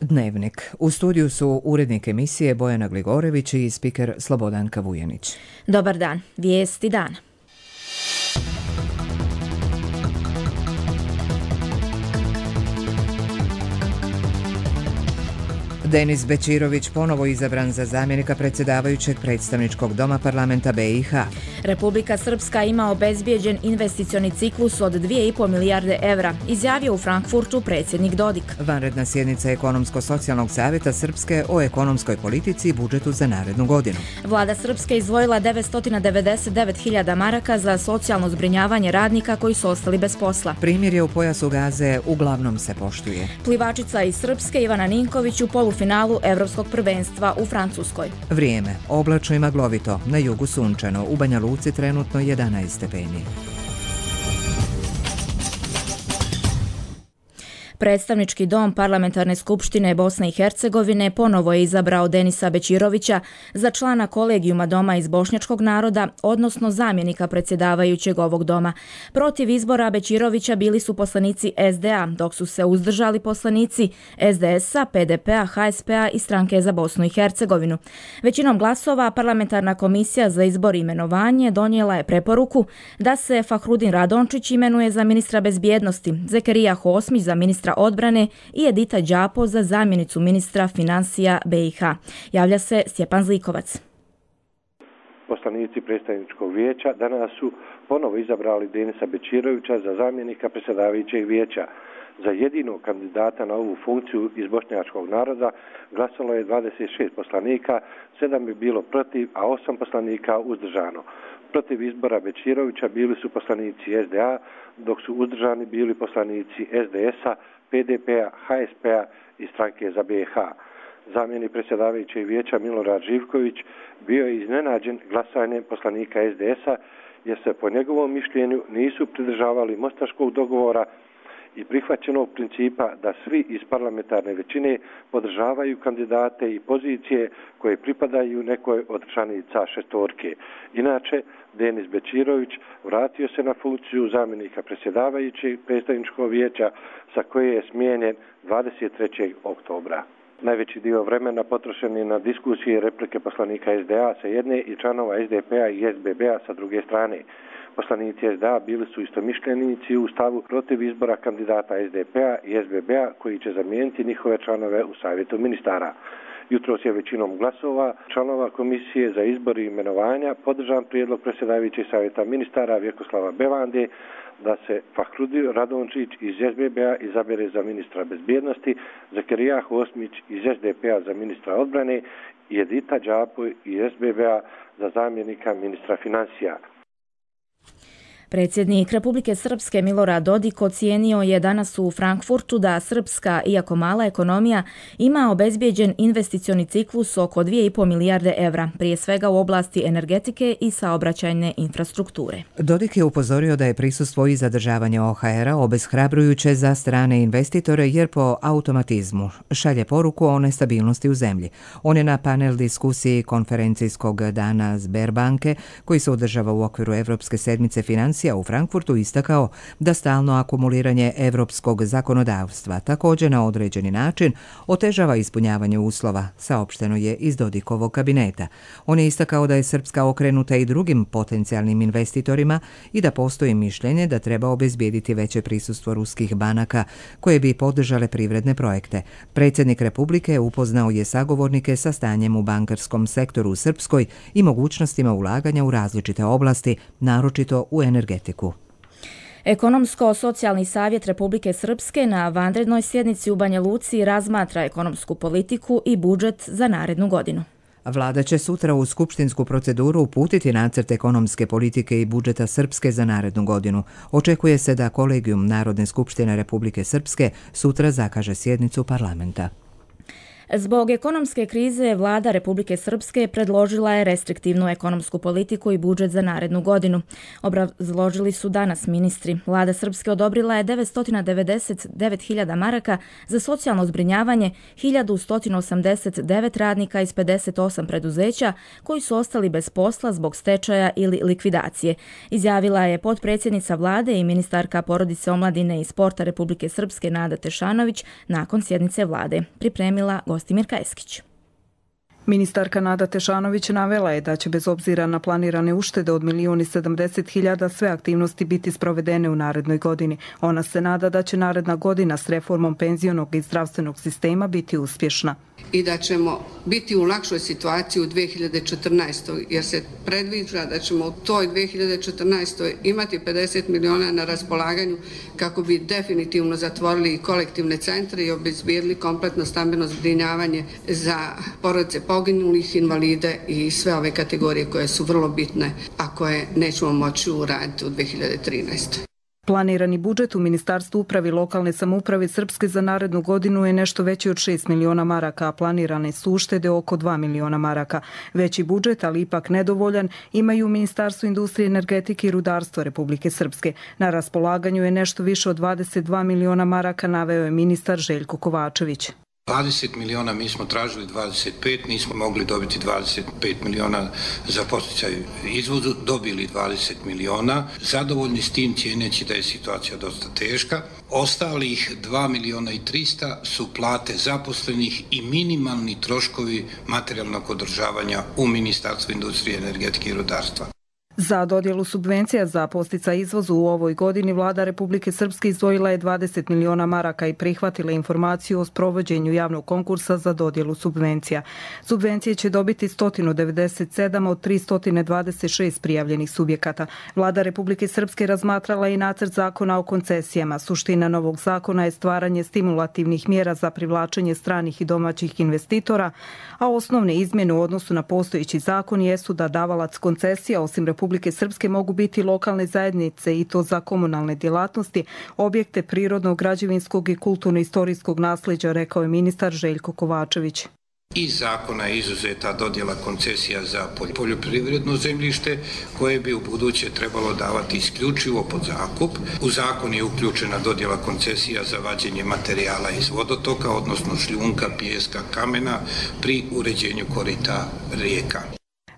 Dnevnik. U studiju su urednik emisije Bojana Gligorević i spiker Slobodanka Vujanić. Dobar dan. Vijesti dana. Denis Bećirović ponovo izabran za zamjenika predsjedavajućeg predstavničkog doma parlamenta BiH. Republika Srpska ima obezbijeđen investicioni ciklus od 2,5 milijarde evra, izjavio u Frankfurtu predsjednik Dodik. Vanredna sjednica Ekonomsko-socijalnog savjeta Srpske o ekonomskoj politici i budžetu za narednu godinu. Vlada Srpske izdvojila 999.000 maraka za socijalno zbrinjavanje radnika koji su ostali bez posla. Primirje u pojasu Gaze uglavnom se poštuje. Plivačica iz Srpske Ivana Ninković u polufinalu Evropskog prvenstva u Francuskoj. Vrijeme. Oblačno i maglovito. Na jugu sunčano. U Banja Luci trenutno 11 stepeni. Predstavnički dom Parlamentarne skupštine Bosne i Hercegovine ponovo je izabrao Denisa Bećirovića za člana kolegijuma Doma iz bošnjačkog naroda, odnosno zamjenika predsjedavajućeg ovog doma. Protiv izbora Bećirovića bili su poslanici SDA, dok su se uzdržali poslanici SDS-a, PDP-a, HSP-a i Stranke za Bosnu i Hercegovinu. Većinom glasova Parlamentarna komisija za izbor i imenovanje donijela je preporuku da se Fahrudin Radončić imenuje za ministra bezbjednosti, Zekerija Hosmić za ministra odbrane i Edita Đapo za zamjenicu ministra financija BiH. Javlja se Stjepan Zlikovac. Poslanici predstavničkog vijeća danas su ponovo izabrali Denisa Bećirovića za zamjenika predsjedavajućeg vijeća. Za jedinog kandidata na ovu funkciju iz bošnjačkog naroda glasalo je 26 poslanika, 7 je bilo protiv, a 8 poslanika uzdržano. Protiv izbora Bećirovića bili su poslanici SDA, dok su uzdržani bili poslanici SDS-a, PDP-a, HSP-a i Stranke za BiH. Zamjenik predsjedavajućeg vijeća Milorad Živković bio je iznenađen glasanjem poslanika SDS-a jer se po njegovom mišljenju nisu pridržavali mostaškog dogovora i prihvaćenog principa da svi iz parlamentarne većine podržavaju kandidate i pozicije koje pripadaju nekoj od članica šestorke. Inače, Denis Bećirović vratio se na funkciju zamjenika predsjedavajućeg predstavničkog vijeća sa koje je smijenjen 23. oktobra. Najveći dio vremena potrošen je na diskusije i replike poslanika SDA sa jedne i članova SDP-a i SBB-a sa druge strane. Poslanici SDA bili su istomišljenici u stavu protiv izbora kandidata SDP-a i SBB-a koji će zamijeniti njihove članove u savjetu ministara. Jutros je većinom glasova članova komisije za izbor i imenovanja podržan prijedlog predsjedavajućeg savjeta ministara Vjekoslava Bevande da se Fahrudin Radončić iz SBB-a izabere za ministra bezbjednosti, Zekerija Hosmić iz SDP-a za ministra odbrane i Edita Đapo iz SBB-a za zamjenika ministra financija. Predsjednik Republike Srpske Milorad Dodik ocijenio je danas u Frankfurtu da srpska, iako mala ekonomija, ima obezbijeđen investicioni ciklus oko 2,5 milijarde evra, prije svega u oblasti energetike i saobraćajne infrastrukture. Dodik je upozorio da je prisustvo i zadržavanje OHR-a obeshrabrujuće za strane investitore jer po automatizmu šalje poruku o nestabilnosti u zemlji. On je na panel diskusiji konferencijskog dana Sberbanke, koji se održava u okviru Evropske sedmice financija u Frankfurtu, istakao da stalno akumuliranje evropskog zakonodavstva također na određeni način otežava ispunjavanje uslova, saopšteno je iz Dodikovog kabineta. On je istakao da je Srpska okrenuta i drugim potencijalnim investitorima i da postoji mišljenje da treba obezbijediti veće prisustvo ruskih banaka koje bi podržale privredne projekte. Predsjednik Republike upoznao je sagovornike sa stanjem u bankarskom sektoru u Srpskoj i mogućnostima ulaganja u različite oblasti, naročito u energetiku. Ekonomsko-socijalni savjet Republike Srpske na vanrednoj sjednici u Banja Luci razmatra ekonomsku politiku i budžet za narednu godinu. Vlada će sutra u skupštinsku proceduru uputiti nacrt ekonomske politike i budžeta Srpske za narednu godinu. Očekuje se da kolegijum Narodne skupštine Republike Srpske sutra zakaže sjednicu parlamenta. Zbog ekonomske krize, vlada Republike Srpske predložila je restriktivnu ekonomsku politiku i budžet za narednu godinu. Obrazložili su danas ministri. Vlada Srpske odobrila je 999.000 maraka za socijalno zbrinjavanje 1189 radnika iz 58 preduzeća koji su ostali bez posla zbog stečaja ili likvidacije. Izjavila je potpredsjednica vlade i ministarka porodice, omladine i sporta Republike Srpske Nada Tešanović nakon sjednice vlade. Pripremila Gostimirka Eskić. Ministarka Nada Tešanović navela je da će bez obzira na planirane uštede od 1.070.000 sve aktivnosti biti sprovedene u narednoj godini. Ona se nada da će naredna godina s reformom penzionog i zdravstvenog sistema biti uspješna. I da ćemo biti u lakšoj situaciji u 2014. jer se predviđa da ćemo u toj 2014. imati 50 miliona na raspolaganju kako bi definitivno zatvorili kolektivne centre i obezbijedili kompletno stambeno zbrinjavanje za porodice poginulih, invalide i sve ove kategorije koje su vrlo bitne, a koje nećemo moći uraditi u 2013. Planirani budžet u Ministarstvu uprave i lokalne samouprave Srpske za narednu godinu je nešto veći od 6 miliona maraka, a planirane su uštede oko 2 miliona maraka. Veći budžet, ali ipak nedovoljan, imaju u Ministarstvu industrije, energetike i rudarstva Republike Srpske. Na raspolaganju je nešto više od 22 miliona maraka, naveo je ministar Željko Kovačević. 20 miliona, mi smo tražili 25, nismo mogli dobiti 25 miliona za podsticaj izvozu, dobili 20 miliona. Zadovoljni s tim, cijeneći da je situacija dosta teška. Ostalih 2 miliona i 300 su plate zaposlenih i minimalni troškovi materijalnog održavanja u Ministarstvu industrije, energetike i rudarstva. Za dodjelu subvencija za podsticaj izvozu u ovoj godini vlada Republike Srpske izdvojila je 20 miliona maraka i prihvatila informaciju o sprovođenju javnog konkursa za dodjelu subvencija. Subvencije će dobiti 197 od 326 prijavljenih subjekata. Vlada Republike Srpske razmatrala i nacrt zakona o koncesijama. Suština novog zakona je stvaranje stimulativnih mjera za privlačenje stranih i domaćih investitora, a osnovne izmjene u odnosu na postojeći zakon jesu da davalac koncesija osim Republike Srpske mogu biti lokalne zajednice i to za komunalne djelatnosti, objekte prirodnog, građevinskog i kulturno-istorijskog nasljeđa, rekao je ministar Željko Kovačević. Iz zakona je izuzeta dodjela koncesija za poljoprivredno zemljište koje bi u buduće trebalo davati isključivo pod zakup. U zakon je uključena dodjela koncesija za vađenje materijala iz vodotoka, odnosno šljunka, pijeska, kamena pri uređenju korita rijeka.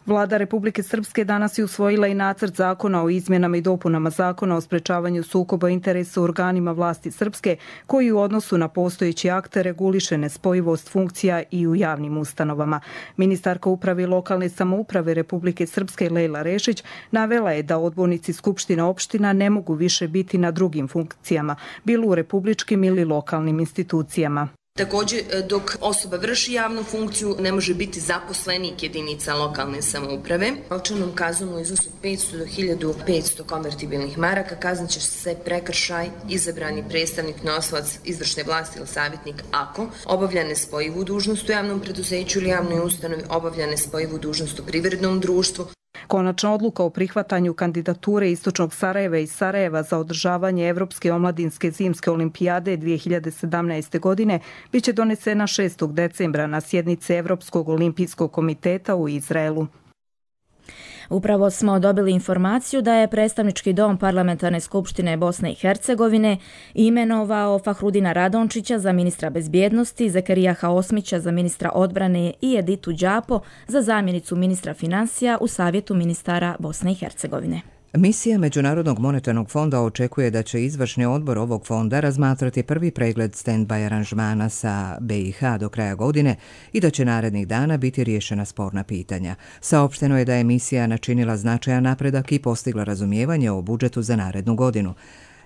Vlada Republike Srpske danas je usvojila i nacrt zakona o izmjenama i dopunama zakona o sprečavanju sukoba interesa u organima vlasti Srpske, koji u odnosu na postojeći akte reguliše nespojivost funkcija i u javnim ustanovama. Ministarka uprave i lokalne samouprave Republike Srpske Lejla Rešić navela je da odbornici skupština opština ne mogu više biti na drugim funkcijama, bilo u republičkim ili lokalnim institucijama. Također, dok osoba vrši javnu funkciju, ne može biti zaposlenik jedinica lokalne samouprave. Novčanom kaznom u iznosu 500 do 1500 konvertibilnih maraka kaznit će se prekršaj izabrani predstavnik, nosilac izvršne vlasti ili savjetnik ako obavlja nespojivu dužnost u javnom preduzeću ili javnoj ustanovi, obavlja nespojivu dužnost u privrednom društvu. Konačna odluka o prihvatanju kandidature Istočnog Sarajeva i Sarajeva za održavanje Evropske omladinske zimske olimpijade 2017. godine biće donesena 6. decembra na sjednici Evropskog olimpijskog komiteta u Izraelu. Upravo smo dobili informaciju da je predstavnički dom Parlamentarne skupštine Bosne i Hercegovine imenovao Fahrudina Radončića za ministra bezbjednosti, Zekerijaha Osmića za ministra odbrane i Editu Đapo za zamjenicu ministra financija u Savjetu ministara Bosne i Hercegovine. Misija Međunarodnog monetarnog fonda očekuje da će izvršni odbor ovog fonda razmatrati prvi pregled stand-by aranžmana sa BiH do kraja godine i da će narednih dana biti riješena sporna pitanja. Saopšteno je da je misija načinila značajan napredak i postigla razumijevanje o budžetu za narednu godinu.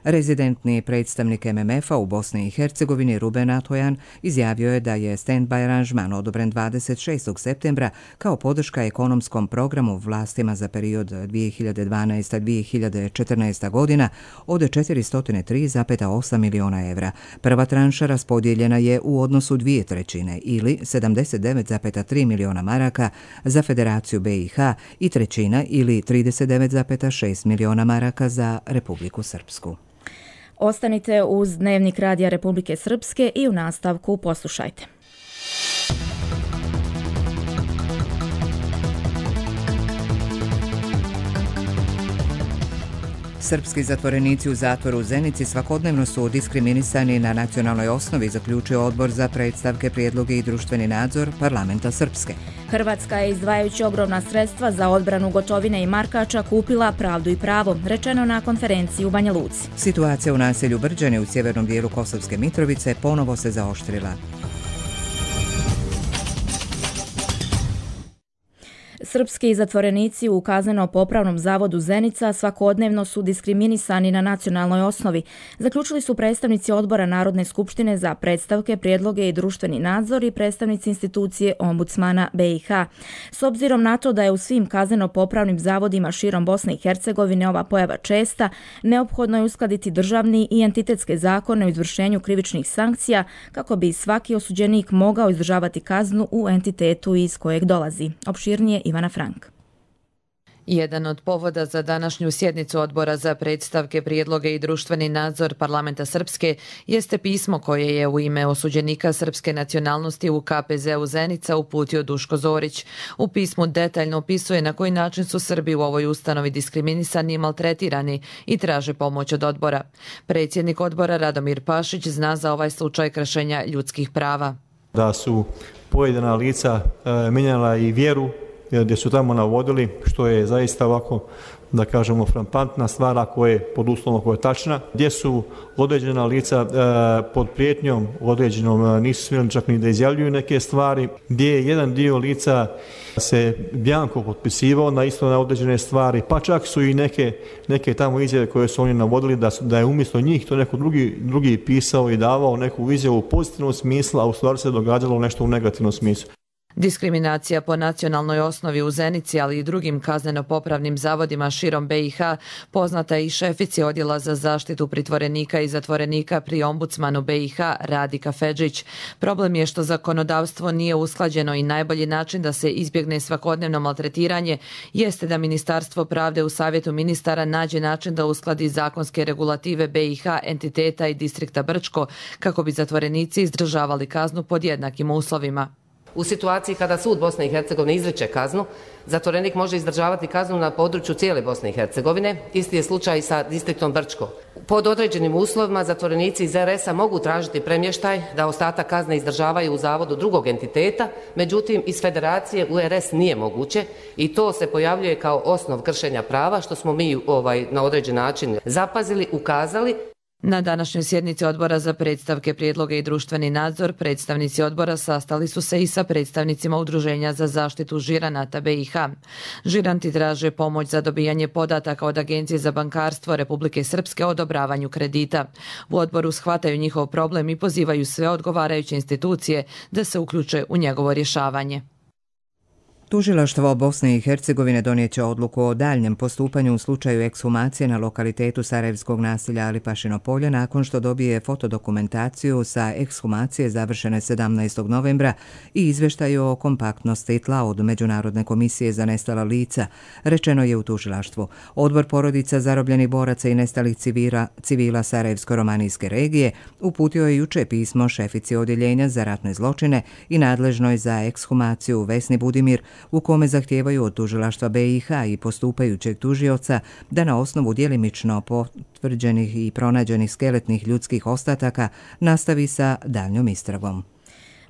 Rezidentni predstavnik MMF-a u Bosni i Hercegovini Ruben Atojan izjavio je da je stand-by aranžman odobren 26. septembra kao podrška ekonomskom programu vlastima za period 2012-2014. godina od 403,8 miliona evra. Prva tranša raspodijeljena je u odnosu 2/3 ili 79,3 miliona maraka za Federaciju BiH i trećina ili 39,6 miliona maraka za Republiku Srpsku. Ostanite uz Dnevnik Radija Republike Srpske i u nastavku poslušajte. Srpski zatvorenici u zatvoru u Zenici svakodnevno su diskriminisani na nacionalnoj osnovi, zaključio Odbor za predstavke, prijedloge i društveni nadzor Parlamenta Srpske. Hrvatska je, izdvajajući ogromna sredstva za odbranu Gotovine i Markača, kupila pravdu i pravo, rečeno na konferenciji u Banja Luci. Situacija u naselju Brđane u sjevernom dijelu Kosovske Mitrovice ponovo se zaoštrila. Srpski zatvorenici u Kazneno-popravnom zavodu Zenica svakodnevno su diskriminisani na nacionalnoj osnovi, zaključili su predstavnici Odbora Narodne skupštine za predstavke, prijedloge i društveni nadzor i predstavnici institucije Ombudsmana BiH. S obzirom na to da je u svim kazneno-popravnim zavodima širom Bosne i Hercegovine ova pojava česta, neophodno je uskladiti državni i entitetske zakone o izvršenju krivičnih sankcija kako bi svaki osuđenik mogao izdržavati kaznu u entitetu iz kojeg dolazi. Opširnije Ivana Frank. Jedan od povoda za današnju sjednicu Odbora za predstavke, prijedloge i društveni nadzor Parlamenta Srpske jeste pismo koje je u ime osuđenika srpske nacionalnosti u KPZ-u Zenica uputio Duško Zorić. U pismu detaljno opisuje na koji način su Srbi u ovoj ustanovi diskriminisani i maltretirani i traže pomoć od odbora. Predsjednik odbora Radomir Pašić zna za ovaj slučaj kršenja ljudskih prava. Da su pojedina lica mijenjala i vjeru, gdje su tamo navodili, što je zaista ovako, da kažemo, frappantna stvar ako je pod uslovom koja je tačna, gdje su određena lica pod prijetnjom određenom nisu smjeli čak ni da izjavljuju neke stvari, gdje je jedan dio lica se bjanko potpisivao na isto na određene stvari, pa čak su i neke tamo izjave koje su oni navodili da je umjesto njih to neko drugi pisao i davao neku izjavu u pozitivnom smislu, a u stvari se događalo nešto u negativnom smislu. Diskriminacija po nacionalnoj osnovi u Zenici, ali i drugim kazneno-popravnim zavodima širom BiH poznata je i šefici Odjela za zaštitu pritvorenika i zatvorenika pri Ombudsmanu BiH Radi Kafedžić. Problem je što zakonodavstvo nije usklađeno i najbolji način da se izbjegne svakodnevno maltretiranje jeste da Ministarstvo pravde u Savjetu ministara nađe način da uskladi zakonske regulative BiH, entiteta i distrikta Brčko kako bi zatvorenici izdržavali kaznu pod jednakim uslovima. U situaciji kada sud Bosne i Hercegovine izriče kaznu, zatvorenik može izdržavati kaznu na području cijele Bosne i Hercegovine. Isti je slučaj i sa distriktom Brčko. Pod određenim uslovima zatvorenici iz RS-a mogu tražiti premještaj da ostatak kazne izdržavaju u zavodu drugog entiteta, međutim iz federacije u RS nije moguće i to se pojavljuje kao osnov kršenja prava, što smo mi na određen način zapazili, ukazali. Na današnjoj sjednici Odbora za predstavke, prijedloge i društveni nadzor predstavnici odbora sastali su se i sa predstavnicima Udruženja za zaštitu žiranata BiH. Žiranti traže pomoć za dobijanje podataka od Agencije za bankarstvo Republike Srpske o odobravanju kredita. U odboru shvataju njihov problem i pozivaju sve odgovarajuće institucije da se uključe u njegovo rješavanje. Tužilaštvo Bosne i Hercegovine donijet će odluku o daljnjem postupanju u slučaju ekshumacije na lokalitetu sarajevskog naselja Alipašino polje nakon što dobije fotodokumentaciju sa ekshumacije završene 17. novembra i izvještaju o kompaktnosti tla od Međunarodne komisije za nestala lica, rečeno je u tužilaštvu. Odbor porodica zarobljenih boraca i nestalih civila Sarajevsko-romanijske regije uputio je juče pismo šefici odjeljenja za ratne zločine i nadležnoj za ekshumaciju Vesni Budimir, u kome zahtijevaju od tužilaštva BiH i postupajućeg tužioca da na osnovu djelimično potvrđenih i pronađenih skeletnih ljudskih ostataka nastavi sa daljnjom istragom.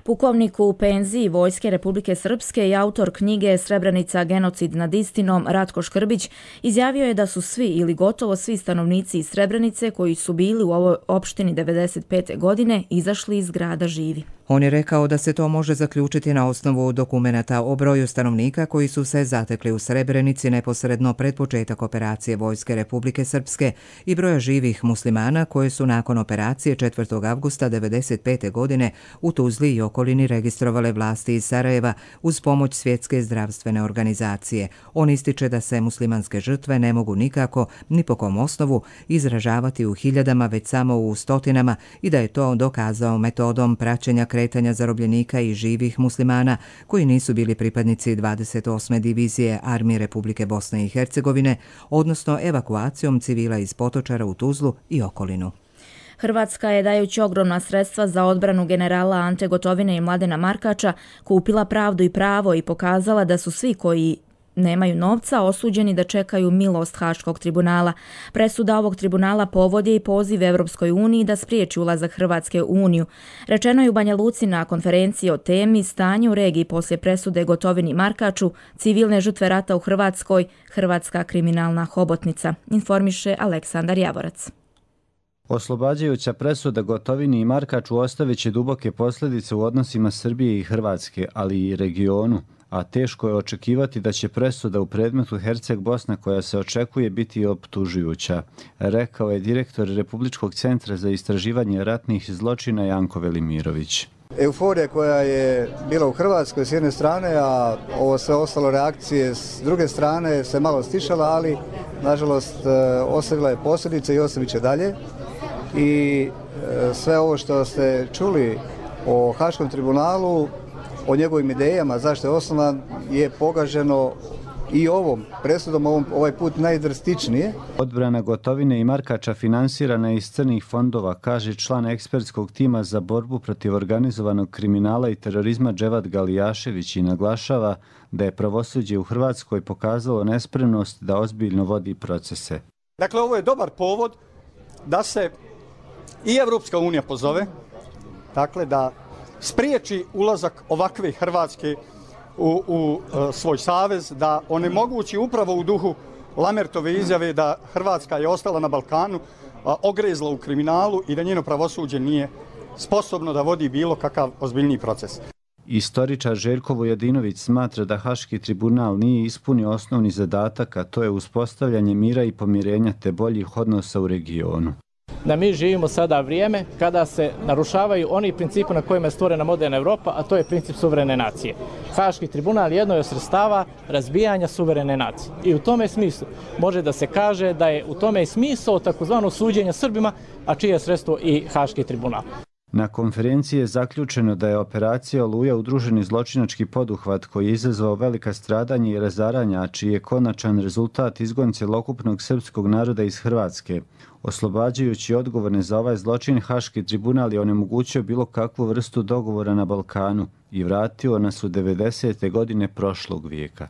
Pukovnik u penziji Vojske Republike Srpske i autor knjige Srebrenica genocid nad istinom Ratko Škrbić izjavio je da su svi ili gotovo svi stanovnici iz Srebrenice koji su bili u ovoj opštini 1995. godine izašli iz grada živi. On je rekao da se to može zaključiti na osnovu dokumenata o broju stanovnika koji su se zatekli u Srebrenici neposredno pred početak operacije Vojske Republike Srpske i broja živih muslimana koje su nakon operacije 4. avgusta 1995. godine u Tuzli i okolini registrovale vlasti iz Sarajeva uz pomoć Svjetske zdravstvene organizacije. On ističe da se muslimanske žrtve ne mogu nikako, ni po kom osnovu, izražavati u hiljadama, već samo u stotinama i da je to dokazao metodom praćenja kretanja zarobljenika i živih muslimana koji nisu bili pripadnici 28. divizije Armije Republike Bosne i Hercegovine, odnosno evakuacijom civila iz Potočara u Tuzlu i okolinu. Hrvatska je, dajući ogromna sredstva za odbranu generala Ante Gotovine i Mladena Markača, kupila pravdu i pravo i pokazala da su svi koji nemaju novca, osuđeni da čekaju milost Haškog tribunala. Presuda ovog tribunala povod je i poziv Evropskoj uniji da spriječi ulazak Hrvatske u Uniju. Rečeno je u Banja Luci na konferenciji o temi Stanje u regiji poslije presude Gotovini i Markaču, civilne žrtve rata u Hrvatskoj, hrvatska kriminalna hobotnica, informiše Aleksandar Javorac. Oslobađajuća presuda Gotovini i Markaču ostavit će duboke posljedice u odnosima Srbije i Hrvatske, ali i regionu, a teško je očekivati da će presuda u predmetu Herceg-Bosna koja se očekuje biti optužujuća, rekao je direktor Republičkog centra za istraživanje ratnih zločina Janko Velimirović. Euforija koja je bila u Hrvatskoj s jedne strane, a ovo sve ostalo reakcije s druge strane se malo stišala, ali nažalost ostavila je posljedice i ostavit će dalje. I sve ovo što ste čuli o Haškom tribunalu, o njegovim idejama, zašto je osnovan, je pogaženo i ovom presudom, ovaj put najdrastičnije. Odbrana Gotovine i Markača finansirana iz crnih fondova, kaže član ekspertskog tima za borbu protiv organizovanog kriminala i terorizma Dževad Galijašević i naglašava da je pravosuđe u Hrvatskoj pokazalo nespremnost da ozbiljno vodi procese. Dakle, ovo je dobar povod da se i Evropska unija pozove, dakle da spriječi ulazak ovakve Hrvatske u svoj savez, da onemogući upravo u duhu Lamertove izjave da Hrvatska je ostala na Balkanu, ogrezla u kriminalu i da njeno pravosuđe nije sposobno da vodi bilo kakav ozbiljniji proces. Istoričar Željko Vujadinović smatra da Haški tribunal nije ispunio osnovni zadatak, a to je uspostavljanje mira i pomirenja te boljih odnosa u regionu. Da mi živimo sada vrijeme kada se narušavaju oni principi na kojima je stvorena moderna Evropa, a to je princip suverene nacije. Haški tribunal jedno je od sredstava razbijanja suverene nacije. I u tome smislu može da se kaže da je u tome i smisao takozvano suđenja Srbima, a čije je sredstvo i Haški tribunal. Na konferenciji je zaključeno da je operacija Oluja udruženi zločinački poduhvat koji je izazvao velika stradanja i razaranja, a čiji je konačan rezultat izgon cjelokupnog srpskog naroda iz Hrvatske. Oslobađajući odgovorne za ovaj zločin, Haški tribunal je onemogućio bilo kakvu vrstu dogovora na Balkanu i vratio nas u 90. godine prošlog vijeka.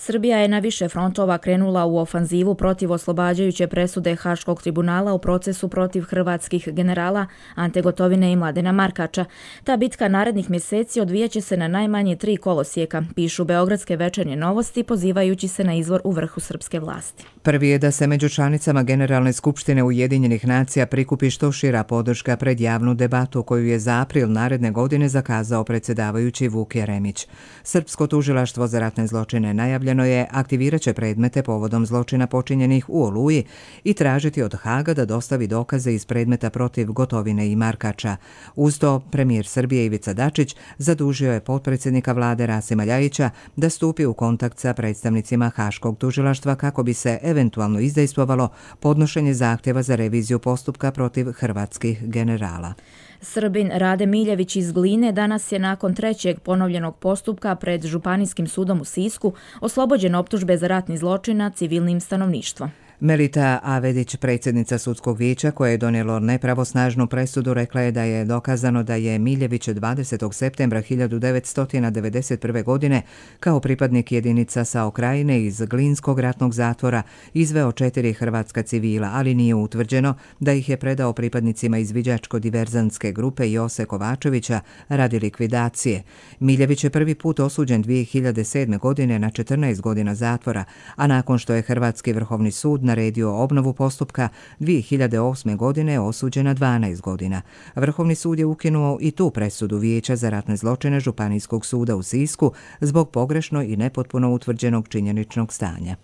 Srbija je na više frontova krenula u ofanzivu protiv oslobađajuće presude Haškog tribunala u procesu protiv hrvatskih generala Ante Gotovine i Mladena Markača. Ta bitka narednih mjeseci odvijaće se na najmanje 3 kolosijeka, pišu beogradske Večernje novosti pozivajući se na izvor u vrhu srpske vlasti. Prvi je da se među članicama Generalne skupštine Ujedinjenih nacija prikupi što šira podrška pred javnu debatu koju je za april naredne godine zakazao predsjedavajući Vuk Jeremić. Srpsko tužilaštvo za ratne zločine najavljeno je aktivirat će predmete povodom zločina počinjenih u Oluji i tražiti od Haga da dostavi dokaze iz predmeta protiv Gotovine i Markača. Uz to, premijer Srbije Ivica Dačić zadužio je potpredsjednika vlade Rasima Ljajića da stupi u kontakt sa predstavnicima Haškog tužilaštva kako bi se eventualno izdejstvovalo podnošenje zahtjeva za reviziju postupka protiv hrvatskih generala. Srbin Rade Miljević iz Gline danas je nakon 3. ponovljenog postupka pred Županijskim sudom u Sisku oslobođen optužbe za ratni zločin nad civilnim stanovništvom. Melita Avedić, predsjednica sudskog vijeća koje je donijelo nepravosnažnu presudu, rekla je da je dokazano da je Miljević 20. septembra 1991. godine kao pripadnik jedinica SAO Krajine iz Glinskog ratnog zatvora izveo 4 hrvatska civila, ali nije utvrđeno da ih je predao pripadnicima izviđačko-diverzantske grupe Jose Kovačevića radi likvidacije. Miljević je prvi put osuđen 2007. godine na 14 godina zatvora, a nakon što je Hrvatski vrhovni sud naredio obnovu postupka, 2008. godine je osuđen na 12 godina. Vrhovni sud je ukinuo i tu presudu Vijeća za ratne zločine Županijskog suda u Sisku zbog pogrešno i nepotpuno utvrđenog činjeničnog stanja.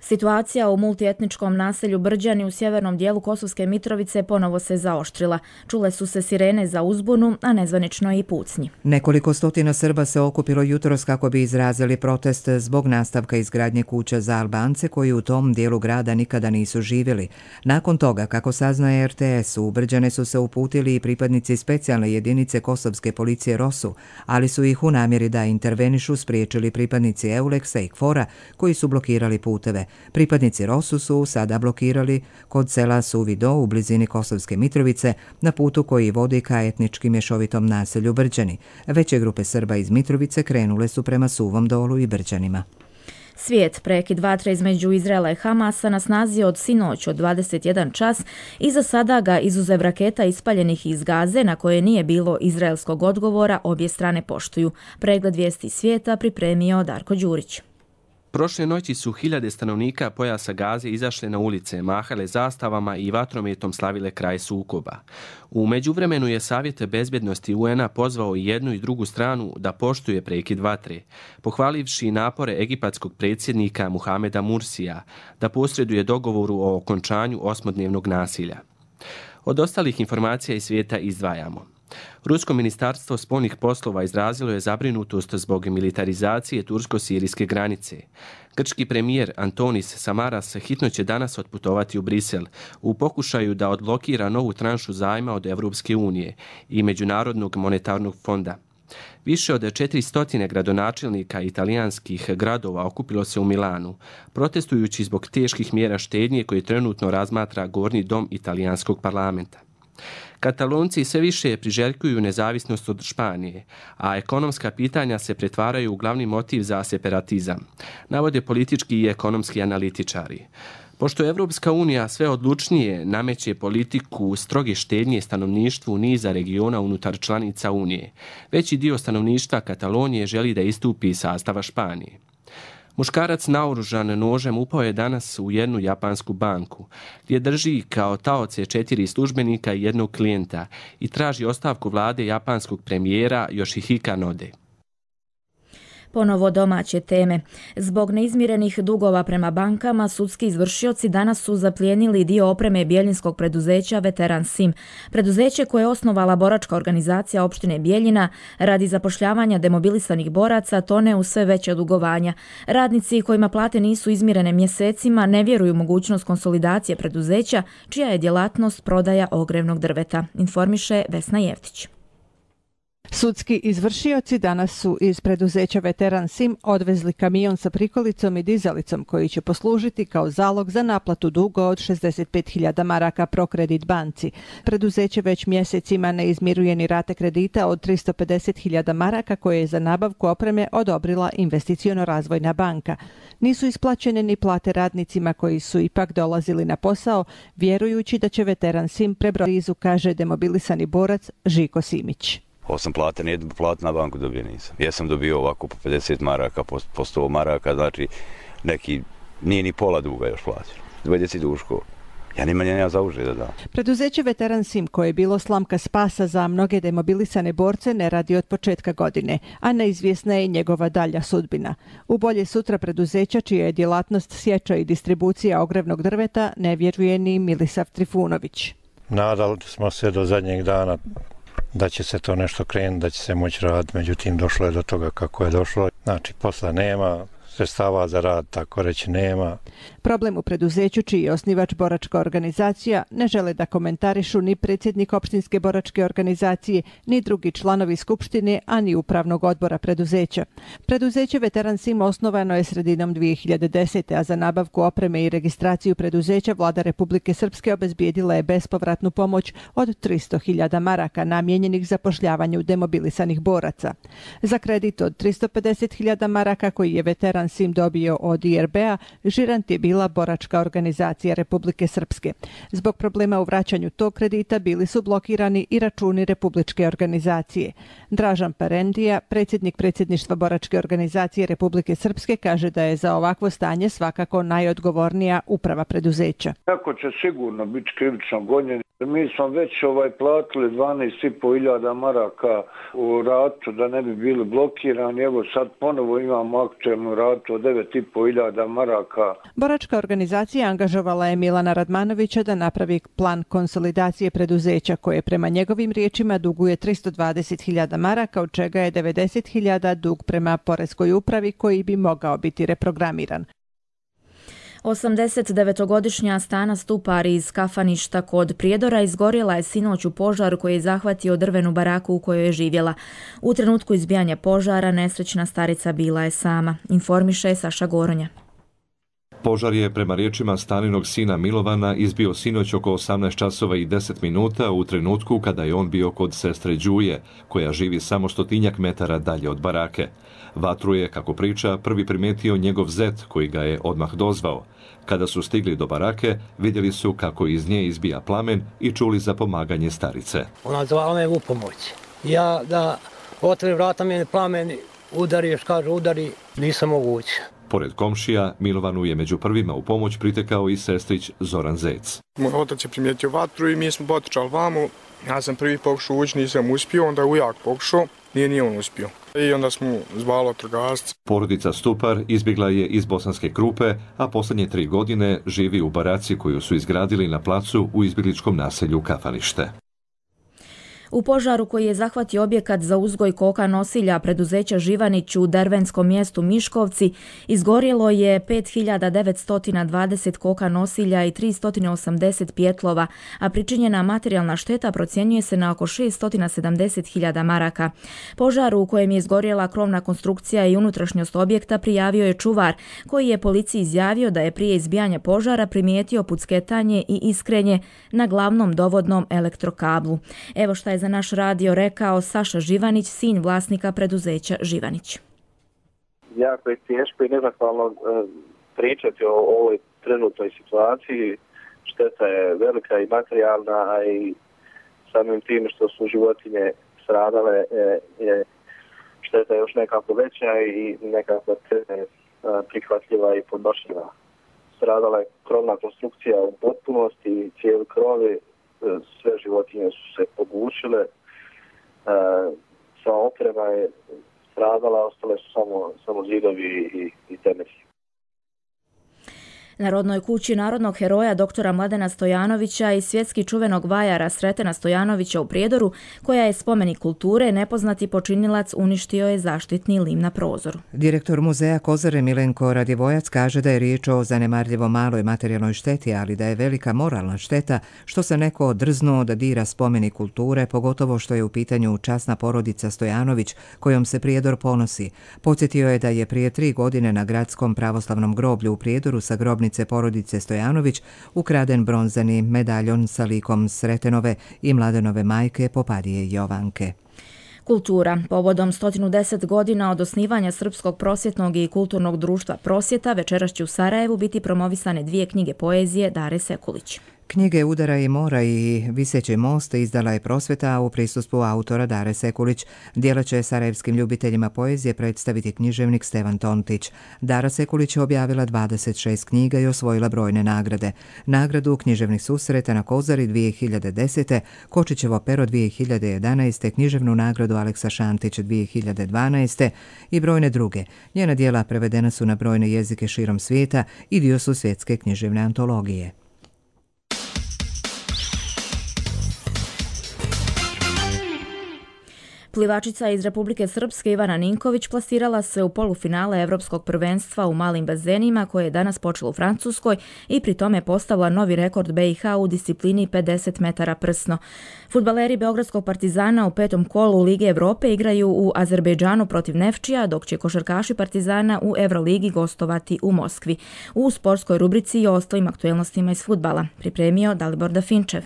Situacija u multietničkom naselju Brđani u sjevernom dijelu Kosovske Mitrovice ponovo se zaoštrila. Čule su se sirene za uzbunu, a nezvanično i pucnji. Nekoliko stotina Srba se okupilo jutros kako bi izrazili protest zbog nastavka izgradnje kuća za Albance koji u tom dijelu grada nikada nisu živjeli. Nakon toga, kako saznaje RTS, u Brđane su se uputili i pripadnici specijalne jedinice kosovske policije ROSU, ali su ih u namjeri da intervenišu spriječili pripadnici Euleksa i KFOR-a koji su blokirali puteve. Pripadnici ROSU su sada blokirali kod sela Suvi Do u blizini Kosovske Mitrovice na putu koji vodi ka etnički mješovitom naselju Brđani. Veće grupe Srba iz Mitrovice krenule su prema Suvom Dolu i Brđanima. Svijet, prekid vatre između Izraela i Hamasa na snazi od sinoć od 21 čas i za sada ga izuzev raketa ispaljenih iz Gaze na koje nije bilo izraelskog odgovora obje strane poštuju. Pregled vijesti svijeta pripremio Darko Đurić. Prošle noći su hiljade stanovnika pojasa Gaze izašle na ulice, mahale zastavama i vatrometom slavile kraj sukoba. U međuvremenu je Savjet bezbednosti UN-a pozvao i jednu i drugu stranu da poštuje prekid vatre, pohvalivši napore egipatskog predsjednika Muhameda Mursija da posreduje dogovoru o okončanju 8-dnevnog nasilja. Od ostalih informacija iz svijeta izdvajamo. Rusko ministarstvo spoljnih poslova izrazilo je zabrinutost zbog militarizacije tursko-sirijske granice. Grčki premijer Antonis Samaras hitno će danas otputovati u Brisel u pokušaju da odblokira novu tranšu zajma od Evropske unije i Međunarodnog monetarnog fonda. Više od 400 gradonačelnika italijanskih gradova okupilo se u Milanu, protestujući zbog teških mjera štednje koje trenutno razmatra Gornji dom italijanskog parlamenta. Katalonci sve više priželjkuju nezavisnost od Španije, a ekonomska pitanja se pretvaraju u glavni motiv za separatizam, navode politički i ekonomski analitičari. Pošto Evropska unija sve odlučnije nameće politiku stroge štednje stanovništvu niza regiona unutar članica Unije, veći dio stanovništva Katalonije želi da istupi iz sastava Španije. Muškarac naoružan nožem upao je danas u jednu japansku banku, gdje drži kao taoce 4 službenika i jednog klijenta i traži ostavku vlade japanskog premijera Yoshihika Node. Ponovo domaće teme. Zbog neizmirenih dugova prema bankama, sudski izvršioci danas su zaplijenili dio opreme bjeljinskog preduzeća Veteran Sim. Preduzeće koje je osnovala boračka organizacija opštine Bjeljina radi zapošljavanja demobilisanih boraca tone u sve veće dugovanja. Radnici kojima plate nisu izmirene mjesecima ne vjeruju mogućnost konsolidacije preduzeća, čija je djelatnost prodaja ogrevnog drveta, informiše Vesna Jeftić. Sudski izvršioci danas su iz preduzeća Veteran Sim odvezli kamion sa prikolicom i dizalicom koji će poslužiti kao zalog za naplatu duga od 65.000 maraka Prokredit banci. Preduzeće već mjesecima ne izmiruje ni rate kredita od 350.000 maraka koje je za nabavku opreme odobrila Investiciono-razvojna banka. Nisu isplaćene ni plate radnicima koji su ipak dolazili na posao, vjerujući da će Veteran Sim prebrojiti, kaže demobilisani borac Žiko Simić. Osam plate, nijednu platu na banku dobio nisam. Ja sam dobio ovako po 50 maraka, po 100 maraka, znači neki, nije ni pola duga još plaćeno. 20 duško. Ja nema za uže da dam. Preduzeće Veteran Sim, koje je bilo slamka spasa za mnoge demobilisane borce, ne radi od početka godine, a neizvjesna je njegova dalja sudbina. U Bolje sutra preduzeća, čija je djelatnost sječa i distribucija ogrevnog drveta, ne vjeruje ni Milisav Trifunović. Nadali smo se do zadnjeg dana da će se to nešto krenuti, da će se moći raditi, međutim došlo je do toga kako je došlo. Znači posla nema, sredstava za rad tako reći nema. Problem u preduzeću, čiji je osnivač boračka organizacija, ne žele da komentarišu ni predsjednik opštinske boračke organizacije, ni drugi članovi skupštine, a ni upravnog odbora preduzeća. Preduzeće Veteran Sim osnovano je sredinom 2010. a za nabavku opreme i registraciju preduzeća vlada Republike Srpske obezbijedila je bespovratnu pomoć od 300.000 maraka namijenjenih zapošljavanju demobilisanih boraca. Za kredit od 350.000 maraka koji je Veteran Sim dobio od IRB-a, žirant je bila boračka organizacija Republike Srpske. Zbog problema u vraćanju tog kredita bili su blokirani i računi Republičke organizacije. Dražan Parendija, predsjednik predsjedništva boračke organizacije Republike Srpske, kaže da je za ovakvo stanje svakako najodgovornija uprava preduzeća. Tako će sigurno biti krivično gonjeni. Mi smo već platili 12.500 maraka u ratu da ne bi bili blokirani. Evo sad ponovo imamo aktualnu ratu od 9.500 maraka. Boračka organizacija angažovala je Milana Radmanovića da napravi plan konsolidacije preduzeća koje prema njegovim riječima duguje 320.000 maraka, od čega je 90.000 dug prema poreskoj upravi koji bi mogao biti reprogramiran. 89-godišnja Stana Stupar iz kafaništa kod Prijedora izgorjela je sinoć u požar koji je zahvatio drvenu baraku u kojoj je živjela. U trenutku izbijanja požara nesrećna starica bila je sama, informiše Saša Goronja. Požar je, prema riječima Staninog sina Milovana, izbio sinoć oko 18 časova i 10 minuta u trenutku kada je on bio kod sestre Đuje, koja živi samo 100 metara dalje od barake. Vatru je, kako priča, prvi primetio njegov zet, koji ga je odmah dozvao. Kada su stigli do barake, vidjeli su kako iz nje izbija plamen i čuli za pomaganje starice. Ona zvala me u pomoć. Ja da otvorim vrata, mene plamen udari, još kaže udari, nisam moguće. Pored komšija, Milovanu je među prvima u pomoć pritekao i sestrić Zoran Zec. Moj otac je primijetio vatru i mi smo potrčali vamo. Ja sam prvi pokušao ući, nisam uspio, onda je ujak pokušao, nije on uspio. I onda smo zvali vatrogasce. Porodica Stupar izbjegla je iz Bosanske Krupe, a posljednje 3 godine živi u baraci koju su izgradili na placu u izbjegličkom naselju Kafanište. U požaru koji je zahvatio objekat za uzgoj koka nosilja preduzeća Živanić u dervenskom mjestu Miškovci, izgorjelo je 5920 koka nosilja i 380 pjetlova, a pričinjena materijalna šteta procjenjuje se na oko 670.000 maraka. Požar u kojem je izgorjela krovna konstrukcija i unutrašnjost objekta prijavio je čuvar, koji je policiji izjavio da je prije izbijanja požara primijetio pucketanje i iskrenje na glavnom dovodnom elektrokablu. Evo šta je za naš radio rekao Saša Živanić, sin vlasnika preduzeća Živanić. Jako je teško i nezahvalno pričati o ovoj trenutnoj situaciji. Šteta je velika i materijalna, a i samim tim što su životinje stradale je šteta još nekako veća i nekako prihvatljiva i podnošljiva. Stradala je krovna konstrukcija u potpunosti, cijeli krovi, sve životinje su se pogušile, sva oprema je stradala, ostale su samo zidovi i temelji. Na rodnoj kući narodnog heroja doktora Mladena Stojanovića i svjetski čuvenog vajara Sretena Stojanovića u Prijedoru, koja je spomenik kulture, nepoznati počinilac uništio je zaštitni lim na prozoru. Direktor muzeja Kozare Milenko Radivojac kaže da je riječ o zanemarljivo maloj materijalnoj šteti, ali da je velika moralna šteta što se neko drznuo da dira spomenik kulture, pogotovo što je u pitanju časna porodica Stojanović kojom se Prijedor ponosi. Podsjetio je da je prije 3 godine na gradskom pravoslavnom groblju u Prijedoru sa grobnicom porodice Stojanović ukraden bronzani medaljon sa likom Sretenove i Mladenove majke Popadije Jovanke. Kultura. Povodom 110 godina od osnivanja Srpskog prosvjetnog i kulturnog društva Prosvjeta večeras će u Sarajevu biti promovisane 2 knjige poezije Dare Sekulić. Knjige Udara i mora i Viseći most izdala je Prosvjeta u prisustvu autora Dare Sekulić. Djela će sarajevskim ljubiteljima poezije predstaviti književnik Stevan Tontić. Dara Sekulić je objavila 26 knjiga i osvojila brojne nagrade. Nagradu književnih susreta na Kozari 2010. Kočićevo pero 2011. književnu nagradu Aleksa Šantić 2012. i brojne druge. Njena djela prevedena su na brojne jezike širom svijeta i dio su svjetske književne antologije. Plivačica iz Republike Srpske Ivana Ninković plasirala se u polufinale Evropskog prvenstva u malim bazenima koje je danas počelo u Francuskoj i pri tome postavila novi rekord BiH u disciplini 50 metara prsno. Fudbaleri Beogradskog Partizana u 5. kolu Lige Evrope igraju u Azerbejdžanu protiv Nefčija, dok će košarkaši Partizana u Euroligi gostovati u Moskvi. U sportskoj rubrici i ostalim aktuelnostima iz fudbala pripremio Dalibor Dafinčev.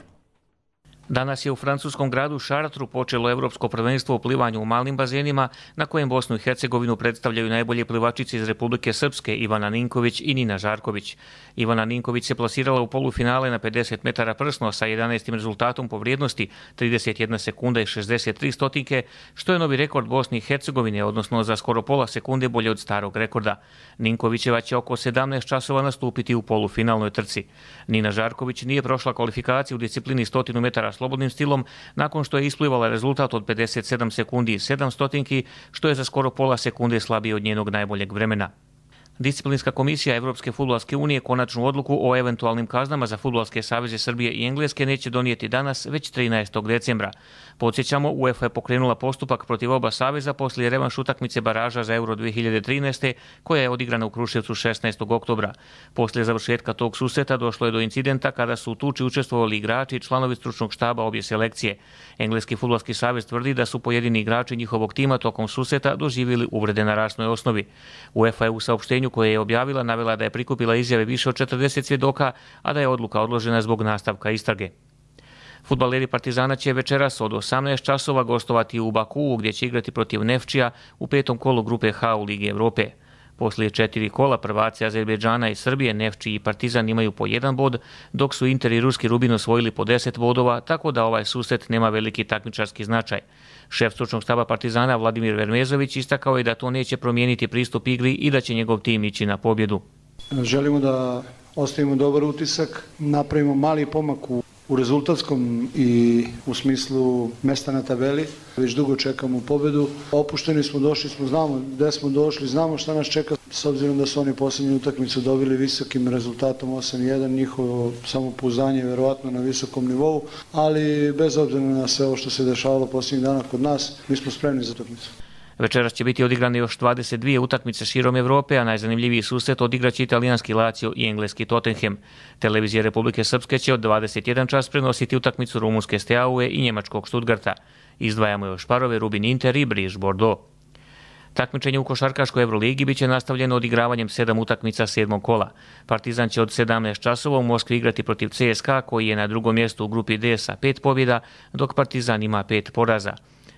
Danas je u francuskom gradu Chartru počelo Evropsko prvenstvo u plivanju u malim bazenima, na kojem Bosnu i Hercegovinu predstavljaju najbolje plivačice iz Republike Srpske Ivana Ninković i Nina Žarković. Ivana Ninković se plasirala u polufinale na 50 metara prsno sa 11. rezultatom po vrijednosti 31 sekunda i 63 stotinke, što je novi rekord Bosne i Hercegovine, odnosno za skoro pola sekunde bolje od starog rekorda. Ninkovićeva će oko 17 časova nastupiti u polufinalnoj trci. Nina Žarković nije prošla kvalifikaciju u disciplini 100 metara slobodnim stilom nakon što je isplivala rezultat od 57 sekundi i 7 stotinki, što je za skoro pola sekunde slabije od njenog najboljeg vremena. Disciplinska komisija Evropske fudbalske unije konačnu odluku o eventualnim kaznama za fudbalske saveze Srbije i Engleske neće donijeti danas, već 13. decembra. Podsjećamo, UEFA je pokrenula postupak protiv oba saveza poslije revanš utakmice baraža za Euro 2013. koja je odigrana u Kruševcu 16. oktobra. Poslije završetka tog susreta došlo je do incidenta kada su u tuči učestvovali igrači i članovi stručnog štaba obje selekcije. Engleski fudbalski savez tvrdi da su pojedini igrači njihovog tima tokom susreta doživjeli uvrede na rasnoj osnovi. UEFA je u saopštenju koje je objavila navela da je prikupila izjave više od 40 svjedoka, a da je odluka odložena zbog nastavka istrage. Fudbaleri Partizana će večeras od 18 časova gostovati u Bakuu, gdje će igrati protiv Nefčija u 5. kolu grupe H u Ligi Evrope. Poslije 4 kola prvaci Azerbejdžana i Srbije, Nefči i Partizan imaju po 1 bod, dok su Inter i Ruski Rubin osvojili po 10 bodova, tako da ovaj susret nema veliki takmičarski značaj. Šef stručnog štaba Partizana Vladimir Vermezović istakao je da to neće promijeniti pristup igri i da će njegov tim ići na pobjedu. Želimo da ostavimo dobar utisak, napravimo mali pomak u rezultatskom i u smislu mesta na tabeli. Već dugo čekamo pobjedu. Opušteni smo, došli smo, znamo gdje smo došli, znamo šta nas čeka. S obzirom da su oni posljednju utakmicu dobili visokim rezultatom 8-1, njihovo samopouzdanje je vjerovatno na visokom nivou, ali bez obzira na sve ovo što se dešavalo posljednjih dana kod nas, mi smo spremni za utakmicu. Večeras će biti odigrane još 22 utakmice širom Evrope, a najzanimljiviji susret odigraće italijanski Lazio i engleski Tottenham. Televizija Republike Srpske će od 21 čas prenositi utakmicu rumunske Steaue i njemačkog Stuttgarta. Izdvajamo još parove Rubin Inter i Briž Bordeaux. Takmičenje u košarkaškoj Euroligi biće nastavljeno odigravanjem 7 utakmica 7. kola. Partizan će od 17 časova u Moskvi igrati protiv CSKA, koji je na drugom mjestu u grupi D sa 5 pobjeda, dok Partizan ima 5 poraza.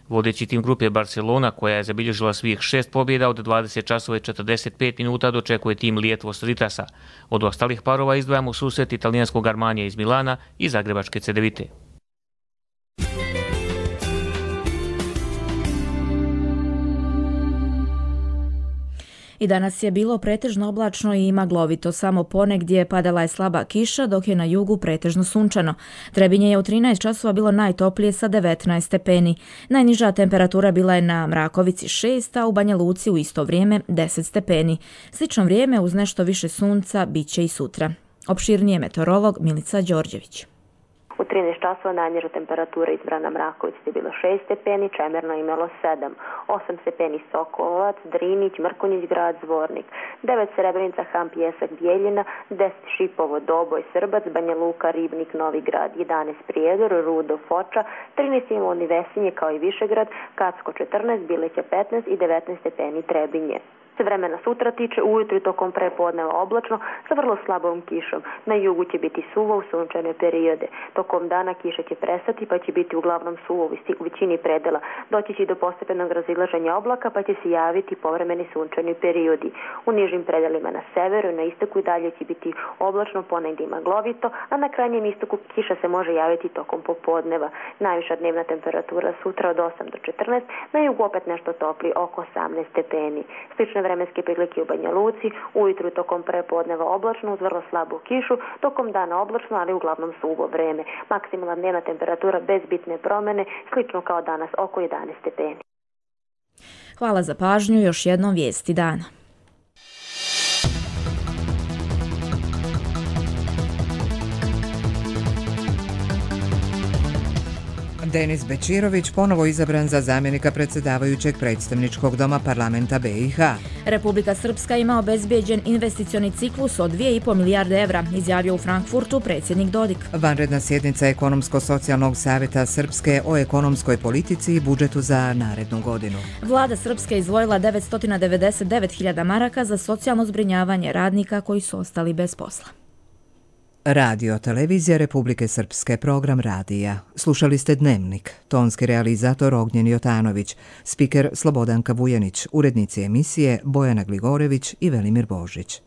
Vodeći tim grupe Barcelona, koja je zabilježila svih 6 pobjeda od 20 časova i 45 minuta, dočekuje tim Lietuvos Rytasa. Od ostalih parova izdvajamo susret italijanskog Armanija iz Milana i zagrebačke Cedevite. I danas je bilo pretežno oblačno i maglovito, samo ponegdje padala je slaba kiša, dok je na jugu pretežno sunčano. Trebinje je u 13 časova bilo najtoplije sa 19 stepeni. Najniža temperatura bila je na Mrakovici 6, a u Banja Luci u isto vrijeme 10 stepeni. Slično vrijeme uz nešto više sunca bit će i sutra. Opširnije meteorolog Milica Đorđević. U 13 časova najniža temperatura izbrana Mraković je bilo 6 stepeni, Čemerno imalo 7, 8 stepeni Sokolovac, Drinić, Mrkonjić grad, Zvornik, 9 Srebrenica, Han, Pjesak, Bijeljina, 10 Šipovo, Doboj, Srbac, Banja Luka, Ribnik, Novi grad, 11 Prijedor, Rudo, Foča, 13 Iloni, Vesinje kao i Višegrad, Kacko 14, Bileća 15 i 19 stepeni Trebinje. Se vremena sutra tiče, ujutru i tokom prepodneva oblačno sa vrlo slabom kišom. Na jugu će biti suvo u sunčane periode. Tokom dana kiša će prestati pa će biti uglavnom suvo u većini predela. Doći će do postepenog razilaženja oblaka pa će se javiti povremeni sunčani periodi. U nižim predelima na severu i na istoku i dalje će biti oblačno, ponegdje maglovito, a na krajnjem istoku kiša se može javiti tokom popodneva. Najviša dnevna temperatura sutra od 8 do 14, na jugu opet nešto topli, oko 18 stepeni. Slične vremenske prilike u Banja Luci, ujutru tokom prepodneva oblačno uz vrlo slabu kišu, tokom dana oblačno, ali uglavnom suvo vreme. Maksimalna dnevna temperatura bez bitne promjene, slično kao danas, oko 11 stepeni. Hvala za pažnju, još jednom vijesti dana. Denis Bečirović ponovo izabran za zamjenika predsjedavajućeg predstavničkog doma parlamenta BiH. Republika Srpska ima obezbijeđen investicioni ciklus od 2,5 milijarde evra, izjavio u Frankfurtu predsjednik Dodik. Vanredna sjednica Ekonomsko-socijalnog savjeta Srpske o ekonomskoj politici i budžetu za narednu godinu. Vlada Srpske izdvojila 999.000 maraka za socijalno zbrinjavanje radnika koji su ostali bez posla. Radio Televizija Republike Srpske, program radija. Slušali ste Dnevnik, tonski realizator Ognjen Jotanović, spiker Slobodanka Vujanić, urednici emisije Bojana Gligorević i Velimir Božić.